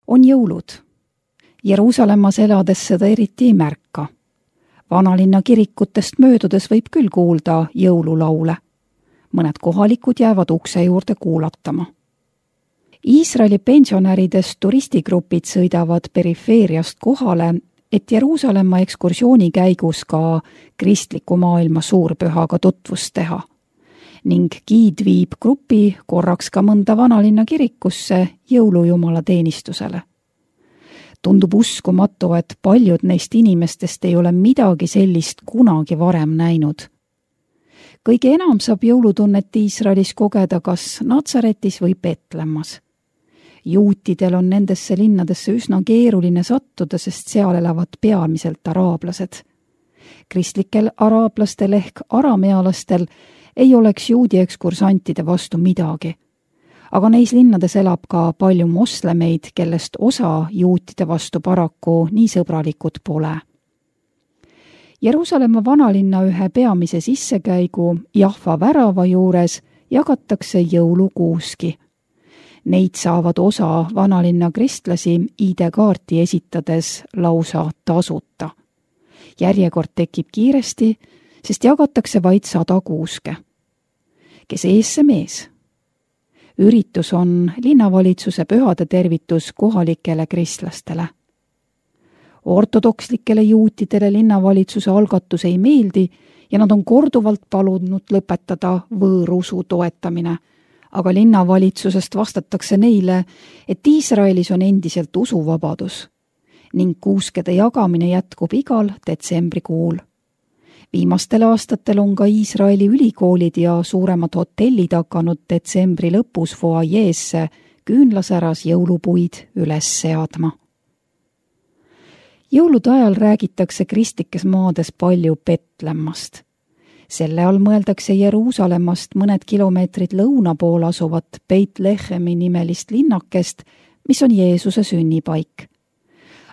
On jõulud. Jeruusalemmas elades seda eriti ei märka. Vanalinna kirikutest möödudes võib küll kuulda jõululaule. Mõned kohalikud jäävad ukse juurde kuulatama. Iisraeli pensionäridest turistigrupid sõidavad perifeeriast kohale, et Jeruusalemma ekskursiooni käigus ka kristliku maailma suurpühaga tutvust teha. Ning giid viib grupi korraks ka mõnda vanalinna kirikusse jõulujumala teenistusele. Tundub uskumatu, et paljud neist inimestest ei ole midagi sellist kunagi varem näinud. Kõige enam saab jõulutunnet Iisraelis kogeda kas Natsaretis või Betlemmas. Juutidel on nendesse linnadesse üsna keeruline sattuda, sest seal elavad peamiselt araablased. Kristlikel araablastel ehk aramealastel ei oleks juudi ekskursantide vastu midagi. Aga neis linnades elab ka palju moslemeid, kellest osa juutide vastu paraku nii sõbralikud pole. Jeruusalemma vanalinna ühe peamise sissekäigu Jahva värava juures jagatakse jõulukuuski. Neid saavad osa vanalinna kristlasi ID-kaarti esitades lausa tasuta. Järjekord tekib kiiresti, sest jagatakse vaid 100 kuuske. Kes ees see mees? Üritus on linnavalitsuse pühade tervitus kohalikele kristlastele. Ortodokslikele juutidele linnavalitsuse algatus ei meeldi ja nad on korduvalt palunud lõpetada võõrusu toetamine, aga linnavalitsusest vastatakse neile, et Iisraelis on endiselt usuvabadus ning kuuskede jagamine jätkub igal detsembrikuul. Viimastel aastatel on ka Iisraeli ülikoolid ja suuremad hotellid hakanud detsembri lõpus foajeesse küünlasäras jõulupuid üles seadma. Jõulude ajal räägitakse kristlikes maades palju Betlemmast. Selle all mõeldakse Jeruusalemmast mõned kilomeetrid lõuna pool asuvat Beit-Lehemi nimelist linnakest, mis on Jeesuse sünnipaik.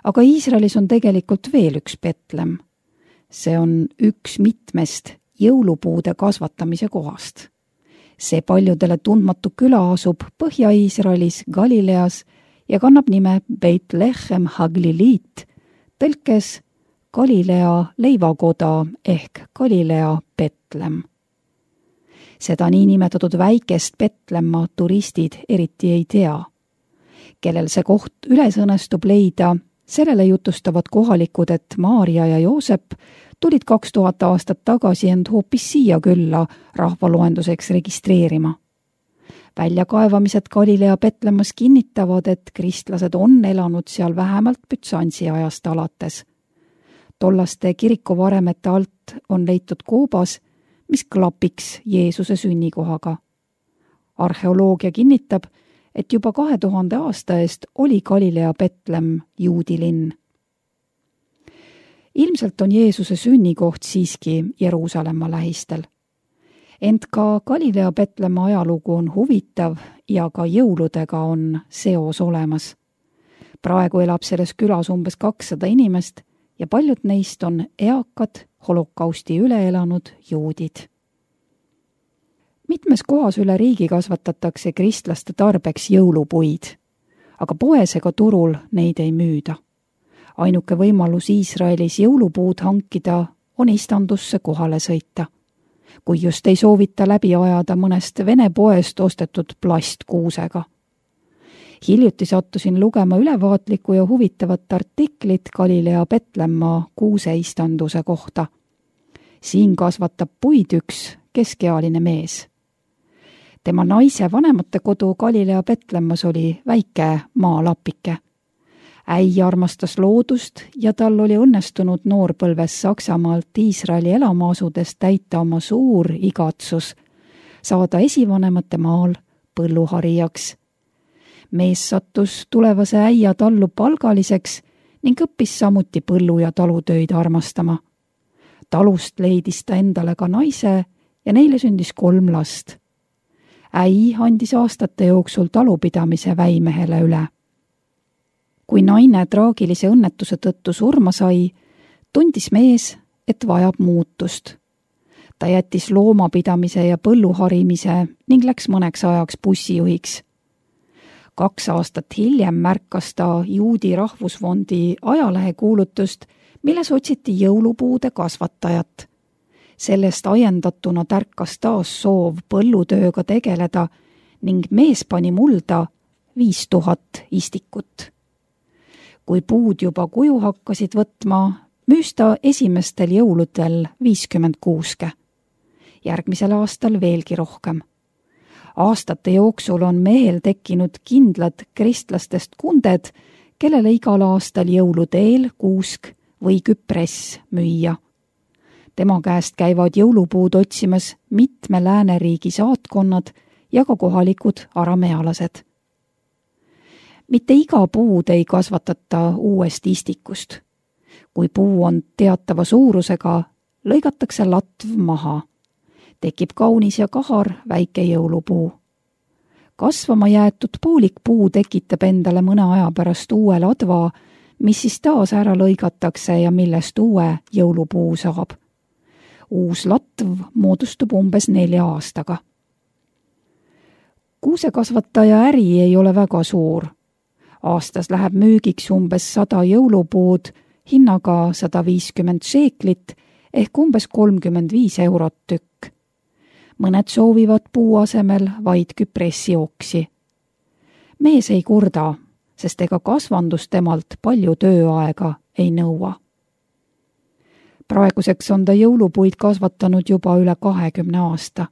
Aga Iisraelis on tegelikult veel üks Betlemm. See on üks mitmest jõulupuude kasvatamise kohast. See paljudele tundmatu küla asub Põhja-Iisraelis Galileas ja kannab nime Beit-Lehem Hagliliit, tõlkes Galilea leivakoda ehk Galilea Betlemm. Seda niinimetatud väikest Betlemma turistid eriti ei tea. Kellel see koht üles õnnestub leida, sellele jutustavad kohalikud, et Maarja ja Joosep tulid 2000 aastat tagasi end hoopis siia külla rahvaloenduseks registreerima. Väljakaevamised Galilea Betlemmas kinnitavad, et kristlased on elanud seal vähemalt Bütsansi ajast alates. Tollaste kirikuvaremete alt on leitud koobas, mis klapiks Jeesuse sünnikohaga. Arheoloogia kinnitab, et juba 2000 aasta eest oli Galilea Betlemm juudi linn. Ilmselt on Jeesuse sünnikoht siiski Jeruusalemma lähistel. Ent ka Galilea Betlemma ajalugu on huvitav ja ka jõuludega on seos olemas. Praegu elab selles külas umbes 200 inimest ja paljud neist on eakad, holokausti üle elanud juudid. Mitmes kohas üle riigi kasvatatakse kristlaste tarbeks jõulupuid, aga poes ega turul neid ei müüda. Ainuke võimalus Iisraelis jõulupuud hankida on istandusse kohale sõita, kui just ei soovita läbi ajada mõnest Vene poest ostetud plastkuusega. Hiljuti sattusin lugema ülevaatlikku ja huvitavat artiklit Galilea Betlemma kuuseistanduse kohta. Siin kasvatab puid üks keskealine mees. Tema naise vanemate kodu Galilea Betlemmas oli väike maalapike. Äi armastas loodust ja tal oli õnnestunud noorpõlves Saksamaalt Iisraeli elama asudes täita oma suur igatsus, saada esivanemate maal põlluharijaks. Mees sattus tulevase äia tallu palgaliseks ning õppis samuti põllu- ja talutöid armastama. Talust leidis ta endale ka naise ja neile sündis 3 last. Äi andis aastate jooksul talupidamise väimehele üle. Kui naine traagilise õnnetuse tõttu surma sai, tundis mees, et vajab muutust. Ta jättis loomapidamise ja põlluharimise ning läks mõneks ajaks bussijuhiks. 2 aastat hiljem märkas ta Juudi Rahvusfondi ajalehekuulutust, milles otsiti jõulupuude kasvatajat. Sellest ajendatuna tärkas taas soov põllutööga tegeleda ning mees pani mulda 5000 istikut. Kui puud juba kuju hakkasid võtma, müüs ta esimestel jõuludel 56. Järgmisel aastal veelgi rohkem. Aastate jooksul on mehel tekkinud kindlad kristlastest kunded, kellele igal aastal jõuluteel kuusk või küpress müüa. Tema käest käivad jõulupuud otsimas mitme lääneriigi saatkonnad ja ka kohalikud aramealased. Mitte iga puud ei kasvatata uuest istikust. Kui puu on teatava suurusega, lõigatakse latv maha. Tekib kaunis ja kahar väike jõulupuu. Kasvama jäetud poolikpuu tekitab endale mõne aja pärast uue ladva, mis siis taas ära lõigatakse ja millest uue jõulupuu saab. Uus latv moodustub umbes 4 aastaga. Kuusekasvataja äri ei ole väga suur. Aastas läheb müügiks umbes 100 jõulupuud, hinnaga 150 šeeklit ehk umbes 35 eurot tükk. Mõned soovivad puu asemel vaid küpressioksi. Mees ei kurda, sest ega kasvandus temalt palju tööaega ei nõua. Praeguseks on ta jõulupuid kasvatanud juba üle 20 aasta.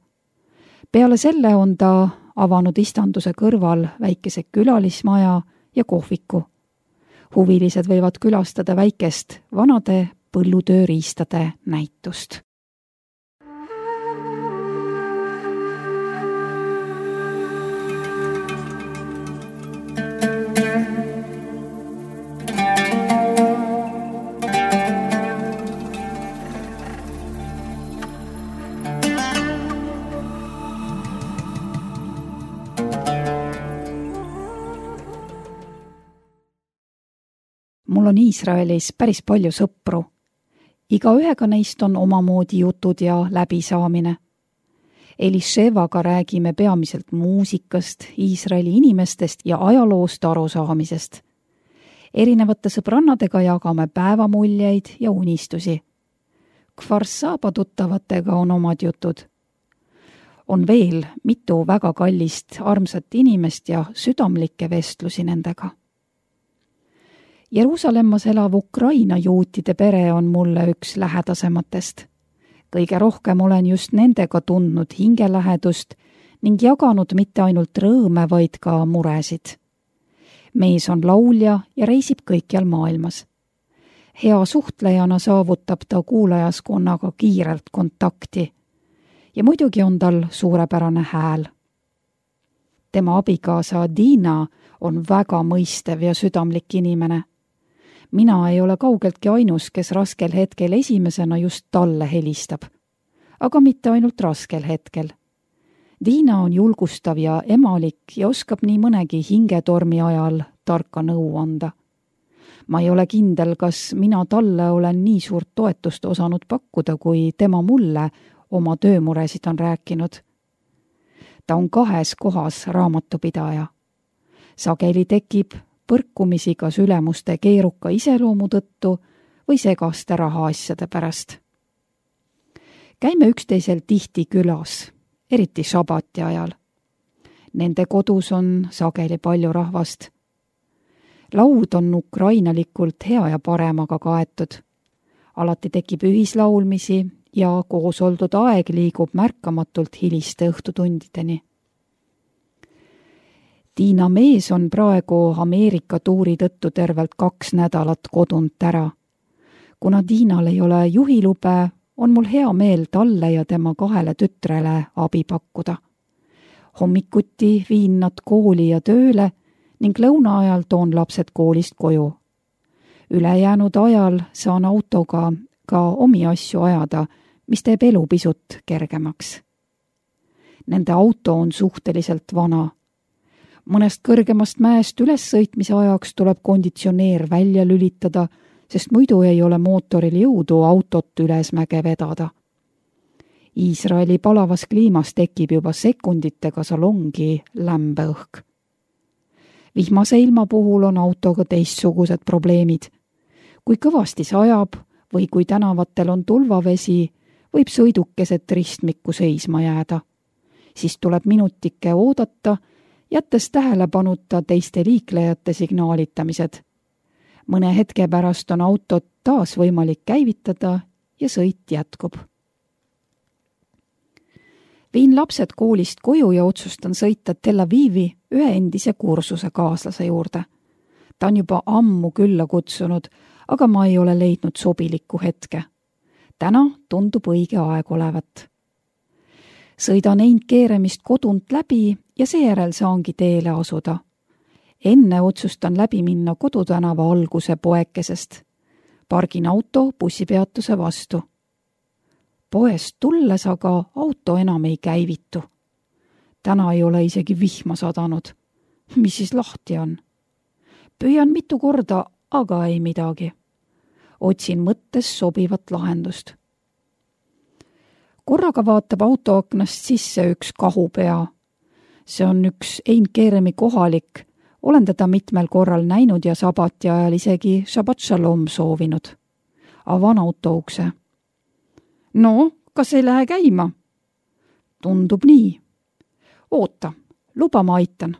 Peale selle on ta avanud istanduse kõrval väikese külalismaja ja kohviku. Huvilised võivad külastada väikest vanade põllutööriistade näitust. Mul on Iisraelis päris palju sõpru. Igaühega neist on omamoodi jutud ja läbisaamine. Elishevaga räägime peamiselt muusikast, Iisraeli inimestest ja ajaloost arusaamisest. Erinevate sõbrannadega jagame päevamuljeid ja unistusi. Kfar Saba tuttavatega on omad jutud. On veel mitu väga kallist, armsat inimest ja südamlikke vestlusi nendega. Jeruusalemmas elav Ukraina juutide pere on mulle üks lähedasematest. Kõige rohkem olen just nendega tundnud hingelähedust ning jaganud mitte ainult rõõme, vaid ka muresid. Mees on laulja ja reisib kõikjal maailmas. Hea suhtlejana saavutab ta kuulajaskonnaga kiirelt kontakti ja muidugi on tal suurepärane hääl. Tema abikaasa Dina on väga mõistev ja südamlik inimene. Mina ei ole kaugeltki ainus, kes raskel hetkel esimesena just talle helistab. Aga mitte ainult raskel hetkel. Dina on julgustav ja emalik ja oskab nii mõnegi hingetormi ajal tarka nõu anda. Ma ei ole kindel, kas mina talle olen nii suurt toetust osanud pakkuda, kui tema mulle oma töömuresid on rääkinud. Ta on 2 kohas raamatupidaja. Sageli tekib põrkumisi kas ülemuste keeruka iseloomu tõttu või segaste rahaasjade pärast. Käime üksteisel tihti külas, eriti šabati ajal. Nende kodus on sageli palju rahvast. Laud on ukrainalikult hea ja paremaga kaetud. Alati tekib ühislaulmisi ja koos oldud aeg liigub märkamatult hiliste õhtutundideni. Tiina mees on praegu Ameerika tuuri tõttu tervelt 2 nädalat kodunt ära. Kuna Tiinal ei ole juhilube, on mul hea meel talle ja tema 2 tütrele abi pakkuda. Hommikuti viin nad kooli ja tööle ning lõuna ajal toon lapsed koolist koju. Ülejäänud ajal saan autoga ka omi asju ajada, mis teeb elu pisut kergemaks. Nende auto on suhteliselt vana. Mõnest kõrgemast mäest ülessõitmise ajaks tuleb konditsioneer välja lülitada, sest muidu ei ole mootoril jõudu autot ülesmäge vedada. Iisraeli palavas kliimas tekib juba sekunditega salongi lämbeõhk. Vihmase ilma puhul on autoga teistsugused probleemid. Kui kõvasti sajab või kui tänavatel on tulvavesi, võib sõiduk keset ristmikku seisma jääda. Siis tuleb minutike oodata, jättes tähelepanuta teiste liiklejate signaalitamised. Mõne hetke pärast on autot taas võimalik käivitada ja sõit jätkub. Viin lapsed koolist koju ja otsustan sõita Tel Avivi ühe endise kursuse kaaslase juurde. Ta on juba ammu külla kutsunud, aga ma ei ole leidnud sobilikku hetke. Täna tundub õige aeg olevat. Sõidan Eindkeeremist kodunt läbi ja seejärel saangi teele asuda. Enne otsustan läbi minna Kodutänava alguse poekesest. Pargin auto bussipeatuse vastu. Poest tulles aga auto enam ei käivitu. Täna ei ole isegi vihma sadanud. Mis siis lahti on? Püüan mitu korda, aga ei midagi. Otsin mõttes sobivat lahendust. Korraga vaatab autoaknast sisse üks kahupea. See on üks Eindkeeremi kohalik. Olen teda mitmel korral näinud ja sabati ajal isegi Shabbat Shalom soovinud. Avan auto ukse. No, kas ei lähe käima? Tundub nii. Oota, luba ma aitan.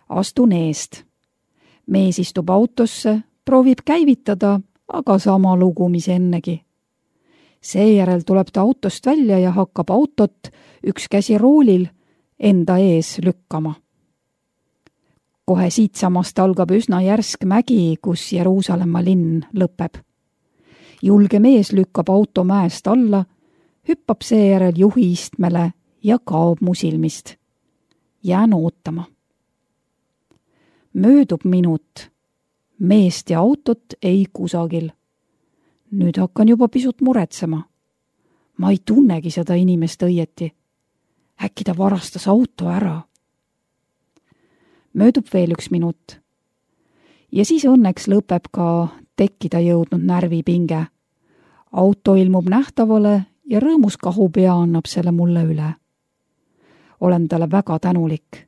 Astun eest. Mees istub autosse, proovib käivitada, aga sama lugu, mis ennegi. Seejärel tuleb ta autost välja ja hakkab autot, üks käsi roolil, enda ees lükkama. Kohe siitsamast algab üsna järsk mägi, kus Jeruusalemma linn lõpeb. Julge mees lükkab auto mäest alla, hüppab seejärel juhi istmele ja kaob mu silmist. Jään ootama. Möödub minut. Meest ja autot ei kusagil. Nüüd hakkan juba pisut muretsema. Ma ei tunnegi seda inimest õieti. Äkki ta varastas auto ära. Möödub veel üks minut. Ja siis õnneks lõpeb ka tekkida jõudnud närvipinge. Auto ilmub nähtavale ja rõõmus kahupea annab selle mulle üle. Olen talle väga tänulik.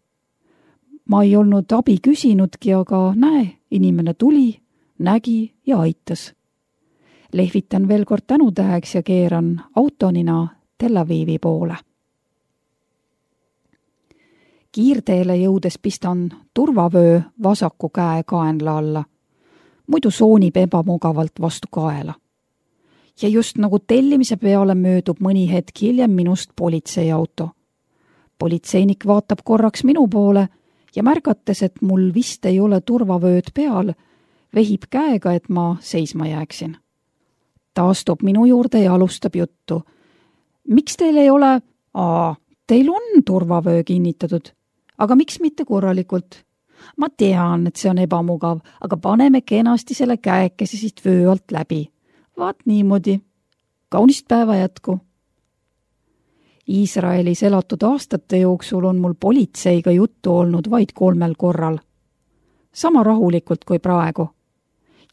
Ma ei olnud abi küsinudki, aga näe, inimene tuli, nägi ja aitas. Lehvitan veel kord tänutäheks ja keeran autonina Tel Avivi poole. Kiirteele jõudes pistan turvavöö vasaku käe kaenla alla. Muidu soonib ebamugavalt vastu kaela. Ja just nagu tellimise peale möödub mõni hetk hiljem minust politseiauto. Politseinik vaatab korraks minu poole ja märgates, et mul vist ei ole turvavööd peal, vehib käega, et ma seisma jääksin. Ta astub minu juurde ja alustab juttu. Miks teil ei ole? Teil on turvavöö kinnitatud. Aga miks mitte korralikult? Ma tean, et see on ebamugav, aga paneme kenasti selle käekese siit vöö alt läbi. Vaat niimoodi. Kaunist päeva jätku. Iisraelis elatud aastate jooksul on mul politseiga juttu olnud vaid 3 korral. Sama rahulikult kui praegu.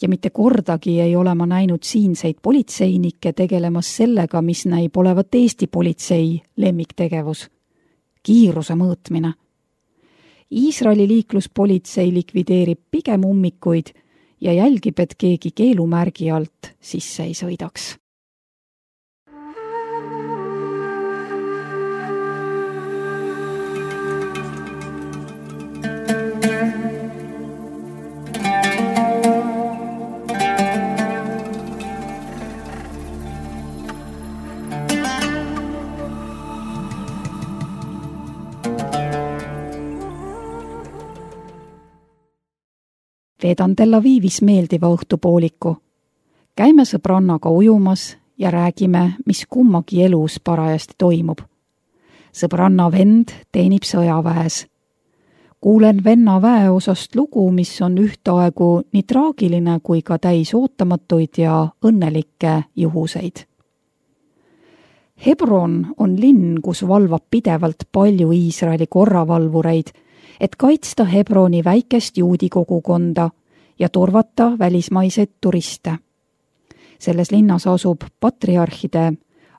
Ja mitte kordagi ei ole ma näinud siinseid politseinikke tegelemas sellega, mis näib olevat Eesti politsei lemmiktegevus. Kiiruse mõõtmine. Iisraeli liikluspolitsei likvideerib pigem ummikuid ja jälgib, et keegi keelumärgi alt sisse ei sõidaks. Veedan Tel Avivis meeldiva õhtupooliku. Käime sõbrannaga ujumas ja räägime, mis kummagi elus parajasti toimub. Sõbranna vend teenib sõjaväes. Kuulen venna väeosast lugu, mis on ühtaegu nii traagiline kui ka täis ootamatuid ja õnnelikke juhuseid. Hebron on linn, kus valvab pidevalt palju Iisraeli korravalvureid, et kaitsta Hebroni väikest juudi kogukonda ja turvata välismaiseid turiste. Selles linnas asub patriarhide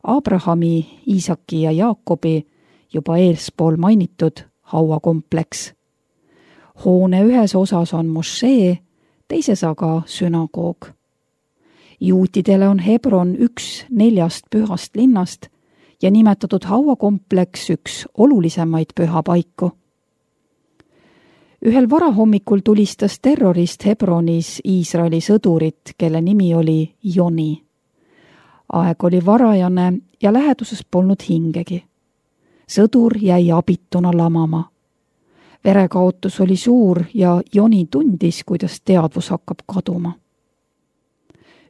Abrahami, Iisaki ja Jaakobi juba eespool mainitud hauakompleks. Hoone ühes osas on mošee, teises aga sünagoog. Juutidele on Hebron üks 4 pühast linnast ja nimetatud hauakompleks üks olulisemaid pühapaiku. Ühel varahommikul tulistas terrorist Hebronis Iisraeli sõdurit, kelle nimi oli Joni. Aeg oli varajane ja läheduses polnud hingegi. Sõdur jäi abituna lamama. Verekaotus oli suur ja Joni tundis, kuidas teadvus hakkab kaduma.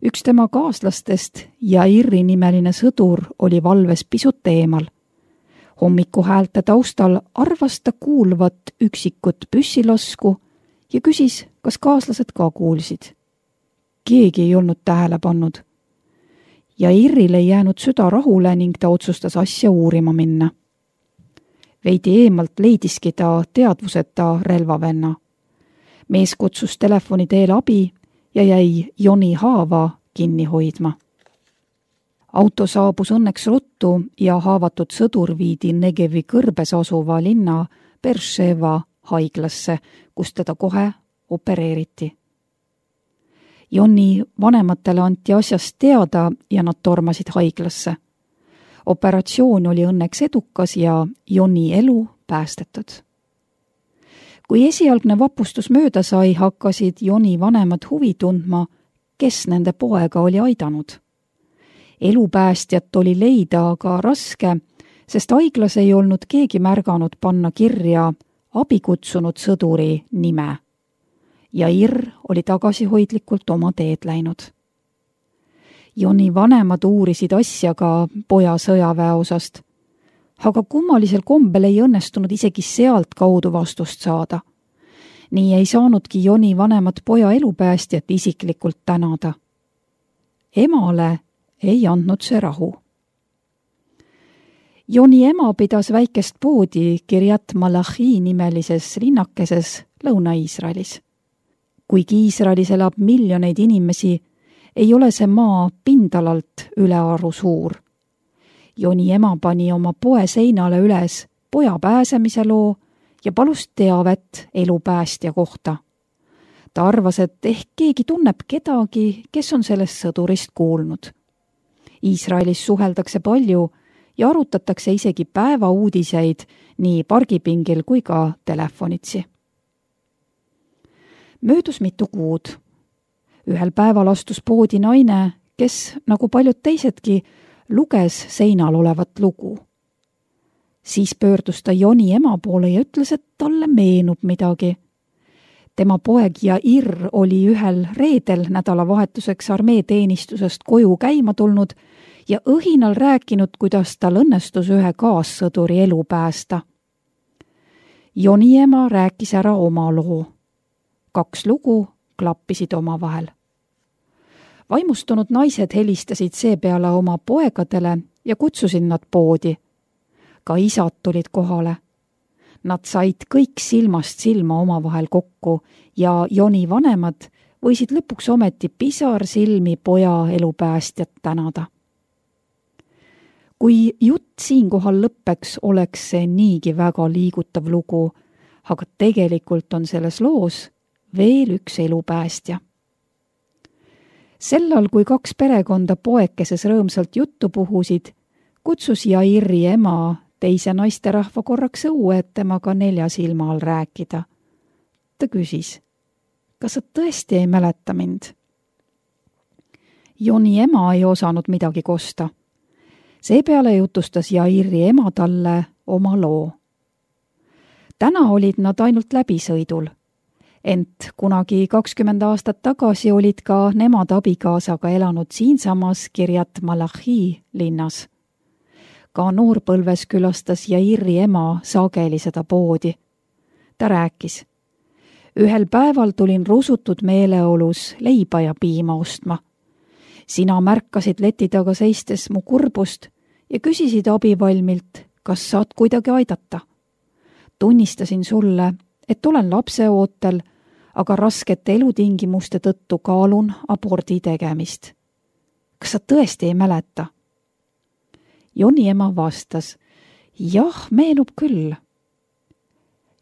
Üks tema kaaslastest, Jairi nimeline sõdur, oli valves pisut eemal. Hommikuhäälte taustal arvas ta kuulvat üksikut püssilasku ja küsis, kas kaaslased ka kuulsid. Keegi ei olnud tähele pannud. Jairil ei jäänud süda rahule ning ta otsustas asja uurima minna. Veidi eemalt leidiski ta teadvuseta relvavenna. Mees kutsus telefoni teel abi ja jäi Joni haava kinni hoidma. Auto saabus õnneks ruttu ja haavatud sõdur viidi Negevi kõrbes asuva linna Beersheva haiglasse, kus teda kohe opereeriti. Joni vanematele anti asjast teada ja nad tormasid haiglasse. Operatsioon oli õnneks edukas ja Joni elu päästetud. Kui esialgne vapustus mööda sai, hakkasid Joni vanemad huvi tundma, kes nende poega oli aidanud. Elupäästjat oli leida aga raske, sest haiglas ei olnud keegi märganud panna kirja abikutsunud sõduri nime. Jair oli tagasihoidlikult oma teed läinud. Joni vanemad uurisid asja ka poja sõjaväeosast, aga kummalisel kombel ei õnnestunud isegi sealt kaudu vastust saada. Nii ei saanudki Joni vanemad poja elupäästjat isiklikult tänada. Emale ei andnud see rahu. Joni ema pidas väikest poodi Kiryat Malachi nimelises linnakeses Lõuna-Iisraelis. Kuigi Iisraelis elab miljoneid inimesi, ei ole see maa pindalalt ülearu suur. Joni ema pani oma poe seinale üles poja pääsemise loo ja palus teavet elupäästja kohta. Ta arvas, et ehk keegi tunneb kedagi, kes on sellest sõdurist kuulnud. Iisraelis suheldakse palju ja arutatakse isegi päevauudiseid nii pargipingil kui ka telefonitsi. Möödus mitu kuud. Ühel päeval astus poodi naine, kes, nagu paljud teisedki, luges seinal olevat lugu. Siis pöördus ta Joni ema poole ja ütles, et talle meenub midagi. Tema poeg Jair oli ühel reedel nädalavahetuseks armeeteenistusest koju käima tulnud ja õhinal rääkinud, kuidas tal õnnestus ühe kaassõduri elu päästa. Joni ema rääkis ära oma loo. 2 lugu klappisid omavahel. Vaimustunud naised helistasid seepeale oma poegadele ja kutsusid nad poodi. Ka isad tulid kohale. Nad said kõik silmast silma omavahel kokku ja Joni vanemad võisid lõpuks ometi pisar silmi poja elupäästjat tänada. Kui jutt siinkohal lõppeks, oleks see niigi väga liigutav lugu, aga tegelikult on selles loos veel üks elupäästja. Sellal, kui 2 perekonda poekeses rõõmsalt juttu puhusid, kutsus Jairi ema teise naisterahva korraks õue, et temaga 4 silma all rääkida. Ta küsis, kas sa tõesti ei mäleta mind? Joni ema ei osanud midagi kosta. Seepeale jutustas Jairi ema talle oma loo. Täna olid nad ainult läbisõidul. Ent kunagi 20 aastat tagasi olid ka nemad abikaasaga elanud siinsamas Kiryat Malachi linnas. Ka noorpõlves külastas Jairi ema sageli seda poodi. Ta rääkis, ühel päeval tulin rusutud meeleolus leiba ja piima ostma. Sina märkasid leti taga seistes mu kurbust ja küsisid abivalmilt, kas saad kuidagi aidata. Tunnistasin sulle, et olen lapseootel, aga raskete elutingimuste tõttu kaalun abordi tegemist. Kas sa tõesti ei mäleta? Joni ema vastas, jah, meenub küll.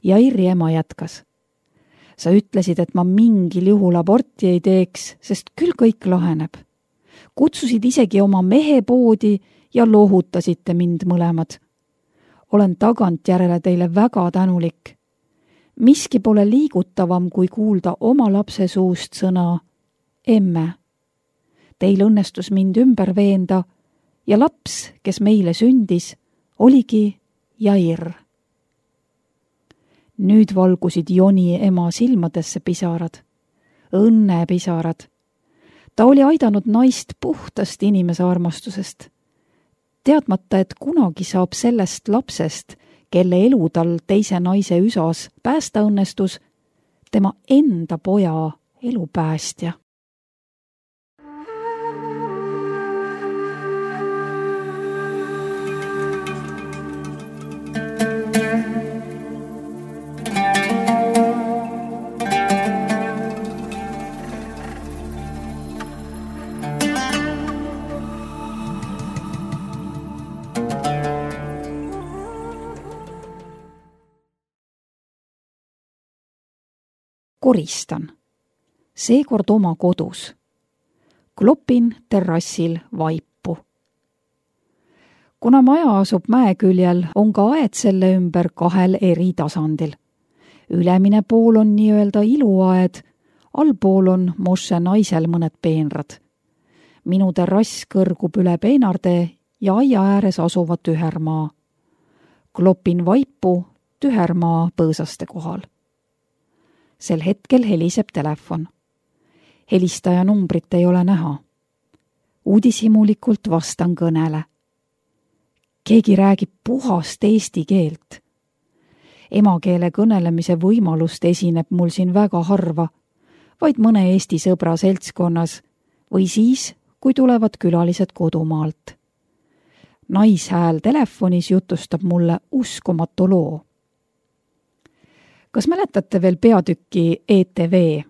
Jairi ema jätkas. Sa ütlesid, et ma mingil juhul aborti ei teeks, sest küll kõik laheneb. Kutsusid isegi oma mehe poodi ja lohutasite mind mõlemad. Olen tagantjärele teile väga tänulik. Miski pole liigutavam, kui kuulda oma lapse suust sõna emme. Teil õnnestus mind ümber veenda ja laps, kes meile sündis, oligi Jair. Nüüd valgusid Joni ema silmadesse pisarad, õnnepisarad. Ta oli aidanud naist puhtast inimese armastusest. Teadmata, et kunagi saab sellest lapsest, kelle elu tal teise naise üsas päästa õnnestus, tema enda poja elupäästja. Koristan. Seekord oma kodus. Klopin terrassil vaipu. Kuna maja asub mäeküljel, on ka aed selle ümber 2 eri tasandil. Ülemine pool on nii-öelda iluaed, allpool on Moshe naisel mõned peenrad. Minu terrass kõrgub üle peenarde ja aia ääres asuva tühermaa. Klopin vaipu tühermaa põõsaste kohal. Sel hetkel heliseb telefon. Helistaja numbrit ei ole näha. Uudishimulikult vastan kõnele. Keegi räägib puhast eesti keelt. Emakeele kõnelemise võimalust esineb mul siin väga harva, vaid mõne eesti sõbra seltskonnas või siis, kui tulevad külalised kodumaalt. Naishääl telefonis jutustab mulle uskumatu loo. Kas mäletate veel peatükki ETV,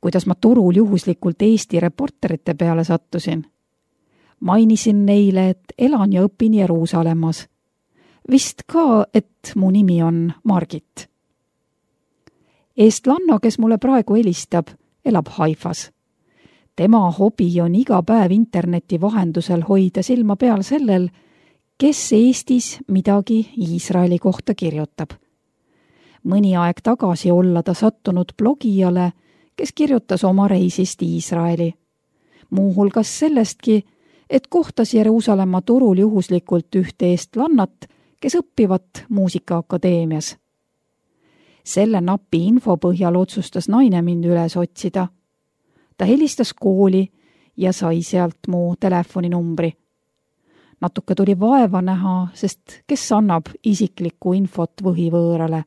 kuidas ma turul juhuslikult Eesti reporterite peale sattusin? Mainisin neile, et elan ja õpin Jeruusalemmas. Vist ka, et mu nimi on Margit. Eestlanna, kes mulle praegu helistab, elab Haifas. Tema hobi on iga päev interneti vahendusel hoida silma peal sellel, kes Eestis midagi Iisraeli kohta kirjutab. Mõni aeg tagasi olla ta sattunud blogijale, kes kirjutas oma reisist Iisraeli. Muuhulgas sellestki, et kohtas Jeruusalemma turul juhuslikult ühte eestlannat, kes õppivat muusikaakadeemias. Selle napi info põhjal otsustas naine mind üles otsida. Ta helistas kooli ja sai sealt mu telefoninumbri. Natuke tuli vaeva näha, sest kes annab isiklikku infot võhivõõrale.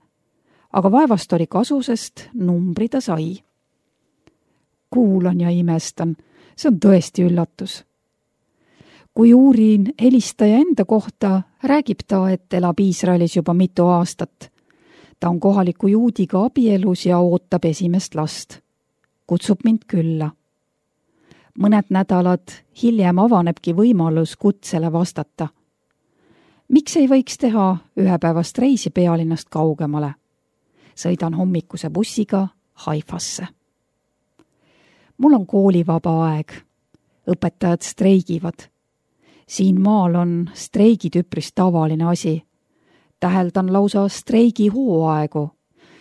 Aga vaevast oli kasu, sest numbri ta sai. Kuulan ja imestan, see on tõesti üllatus. Kui uurin helistaja enda kohta, räägib ta, et elab Iisraelis juba mitu aastat. Ta on kohaliku juudiga abielus ja ootab esimest last. Kutsub mind külla. Mõned nädalad hiljem avanebki võimalus kutsele vastata. Miks ei võiks teha ühepäevast reisi pealinnast kaugemale? Sõidan hommikuse bussiga Haifasse. Mul on koolivaba aeg. Õpetajad streigivad. Siin maal on streigid üpris tavaline asi. Täheldan lausa streigi hooaegu,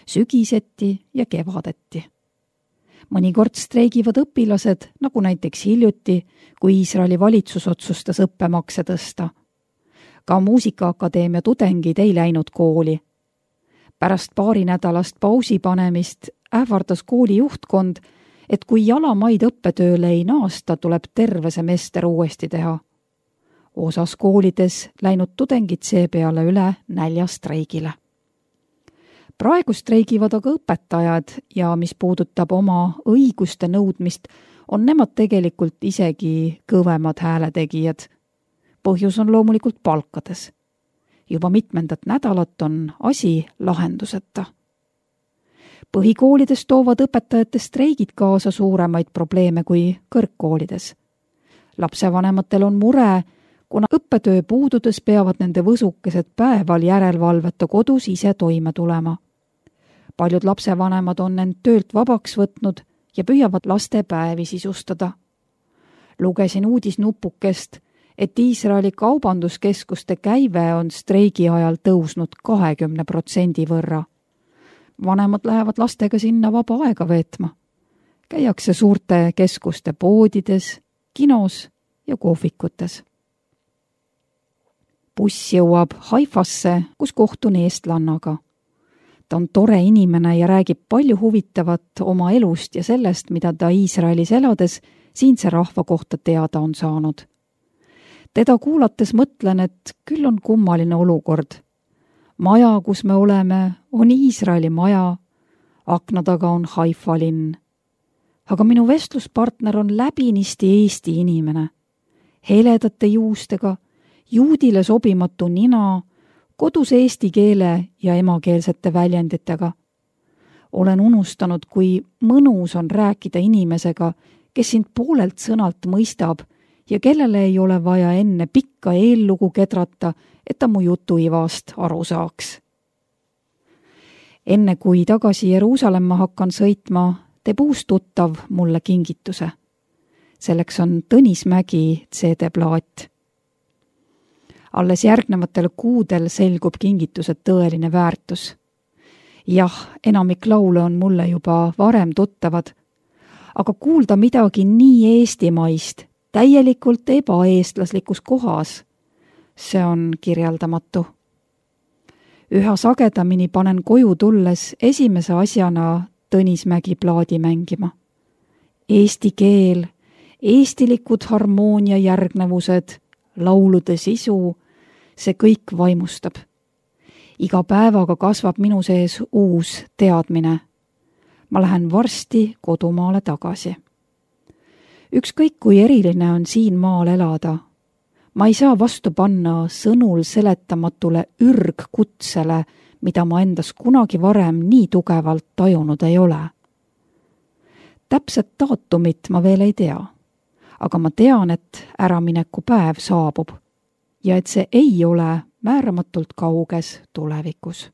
sügiseti ja kevadeti. Mõnikord streigivad õpilased, nagu näiteks hiljuti, kui Iisraeli valitsus otsustas õppemakse tõsta. Ka muusikaakadeemia tudengid ei läinud kooli. Pärast 2 nädalast pausi panemist ähvardas kooli juhtkond, et kui jalamaid õppetööle ei naasta, tuleb terve semester uuesti teha. Osas koolides läinud tudengid seepeale üle näljastreigile. Praegu streigivad aga õpetajad ja mis puudutab oma õiguste nõudmist, on nemad tegelikult isegi kõvemad hääletegijad. Põhjus on loomulikult palkades. Juba mitmendat nädalat on asi lahenduseta. Põhikoolides toovad õpetajate streigid kaasa suuremaid probleeme kui kõrgkoolides. Lapsevanematel on mure, kuna õppetöö puududes peavad nende võsukesed päeval järelevalveta kodus ise toime tulema. Paljud lapsevanemad on end töölt vabaks võtnud ja püüavad lastepäevi sisustada. Lugesin uudisnupukest, et Iisraeli kaubanduskeskuste käive on streigi ajal tõusnud 20% võrra. Vanemad lähevad lastega sinna vaba aega veetma. Käiakse suurte keskuste poodides, kinos ja kohvikutes. Buss jõuab Haifasse, kus kohtun eestlannaga. Ta on tore inimene ja räägib palju huvitavat oma elust ja sellest, mida ta Iisraelis elades siinse rahva kohta teada on saanud. Teda kuulates mõtlen, et küll on kummaline olukord. Maja, kus me oleme, on Iisraeli maja, akna taga on Haifa linn. Aga minu vestluspartner on läbinisti Eesti inimene. Heledate juustega, juudile sobimatu nina, kodus eesti keele ja emakeelsete väljenditega. Olen unustanud, kui mõnus on rääkida inimesega, kes sind poolelt sõnalt mõistab ja kellele ei ole vaja enne pikka eellugu kedrata, et ta mu jutuivast aru saaks. Enne kui tagasi Jeruusalemma hakkan sõitma, teeb uus tuttav mulle kingituse. Selleks on Tõnismägi CD-plaat. Alles järgnevatel kuudel selgub kingituse tõeline väärtus. Jah, enamik laule on mulle juba varem tuttavad, aga kuulda midagi nii eestimaist, täielikult ebaeestlaslikus kohas, see on kirjeldamatu. Üha sagedamini panen koju tulles esimese asjana Tõnismägi plaadi mängima. Eesti keel, eestilikud harmoonia järgnevused, laulude sisu, see kõik vaimustab. Iga päevaga kasvab minu sees uus teadmine. Ma lähen varsti kodumaale tagasi. Ükskõik kui eriline on siin maal elada, ma ei saa vastu panna sõnul seletamatule ürgkutsele, mida ma endas kunagi varem nii tugevalt tajunud ei ole. Täpset daatumit ma veel ei tea, aga ma tean, et äramineku päev saabub ja et see ei ole määramatult kauges tulevikus.